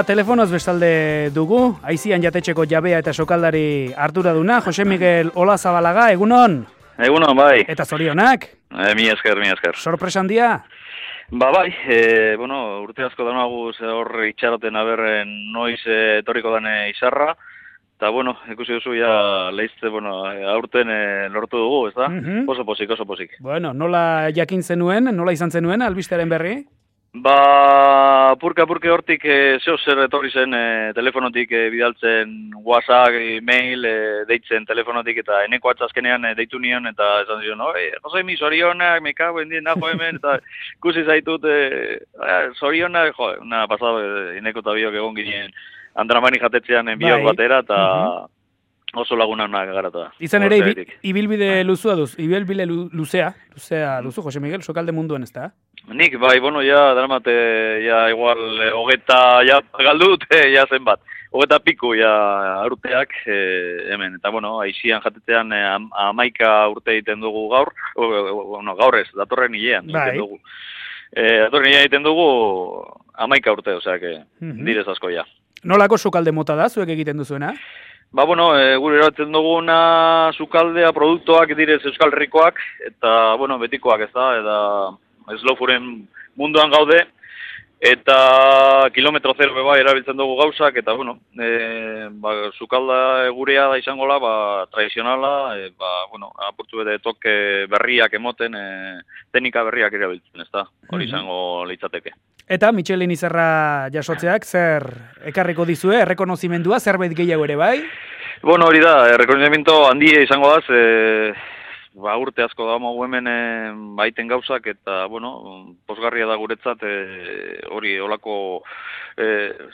Telefonoz bestalde dugu, aizian jatetxeko jabea eta sokaldari arduraduna, Jose Miguel Olazabalaga, egunon? Egunon, bai. Eta zorionak? Mi esker. Sorpresa handia? Bai, urte asko danaguz hor itxaroten aberren noiz etorriko dane izarra, eta, ikusi duzu ja lehizte, aurten lortu dugu, ez da? Oso posik. Nola jakin zenuen, nola izan zenuen, albistearen berri? Purka hortik zer etorri zen telefonotik bidaltzen WhatsApp, e-mail, deitzen telefonotik eta eneko atzazkenean deitu nion eta esan zion, Jose, mi zorionak, me cago en dien, nago hemen, eta ikusi zaitut zorionak, una pasado, eneko eta biok egon ginen Andramani jatetzean biok batera eta oso laguna garata. Izan ere, ibilbide luzea duzu, Jose Miguel, sokalde munduen ez da? Nik, daramate, igual, hogeta, galdut, zenbat. Hogeta piku, urteak, hemen. Eta, aizian jatetzean 11 urte egiten dugu gaur. Gaur ez, datorren hilean egiten dugu. Datorren hilean egiten dugu 11 urte, oseak, direz asko, Nolako sokalde mota da, zuek egiten duzuena? Gure eratzen duguna sukaldea, produktuak direz Euskal Herrikoak, eta, betikoak ez da, eta slow fooden munduan gaude, eta kilometro zero beba erabiltzen dugu gauzak, eta, sukalda gurea da izango la, tradizionala, apurtu bete toke berriak emoten, teknika berriak erabiltzen, ez da, hori izango litzateke. Eta Michelin izarra jasotzeak zer ekarriko dizue, errekonozimendua, zerbait gehiago ere bai? Hori da, errekonozimento handia izango daz, urte asko da hemen baiten gauzak, eta, posgarria da guretzat hori olako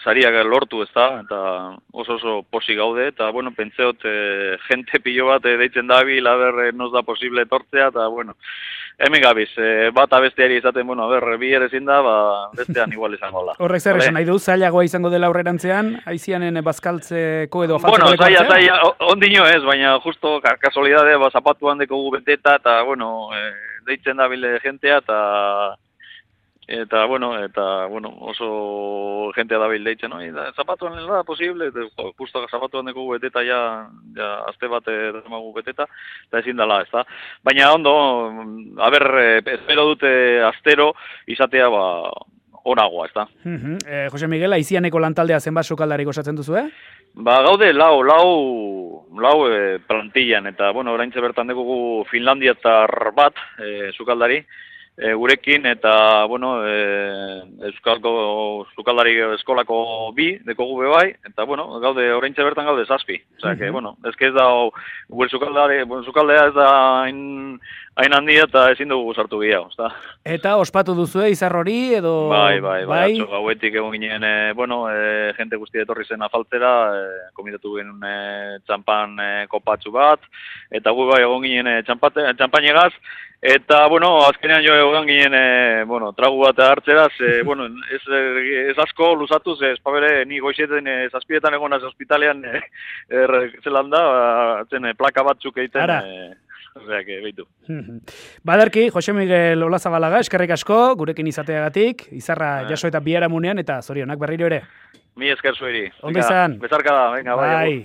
sariak lortu ez da, eta oso posi gaude, eta, pentseot jente pilo bat deitzen dabil, nos da posible etortzea, eta, hemen gabiz, bat abesteari izaten, bi ere ezin da, bestean igual izango da. Horrek zer esan nahi du, zailagoa izango dela aurrerantzean, aizianen bazkaltzeko edo falteko dekortzea? Zaila, ondino ez, baina justo kasualidade, zapatuan dekogu beteta, eta, deitzen dabile jentea, eta oso jentea dabil deitzen, zapatuan da posible, justo zapatuan dekogu beteta, azte bat damagu beteta, eta ezin dela, ez da. Baina ondo, espero dute astero izatea, onagoa, ez da. Jose Miguel, aizianeko lantaldea zenbat sokaldarik osatzen duzu, Gaude lau plantillan, eta, oraintze bertan dugu Finlandiatar bat, sukaldari, gurekin, eta, Euskalko sukaldari eskolako bi, dekogu bebai, eta, gaude, oraintze bertan gaude 7. Osea, ez da, gure sukaldea ez da hain handia eta ezin dugu sartu gehiago, ezta? Eta ospatu duzue izar hori edo... Bai, atzo gauetik egon ginen, jente guztia etorri zen afaltzera, komidatu genuen txampan kopatxu bat, eta gu egon ginen txampanegaz, eta, azkenean jo egon ginen, tragu bat hartzeraz, ez asko luzatuz, ez pabere, ni goizeten zazpidetan egon az hospitalean, zelan da, plaka batzuk egiten... Oseak, behitu. Badarki, Jose Miguel Olazabalaga, eskerrik asko, gurekin izateagatik, izarra jaso eta biharamunean, eta zorionak berriro ere. Mi esker zueri. Ondo izan. Bezarka da, venga, bai.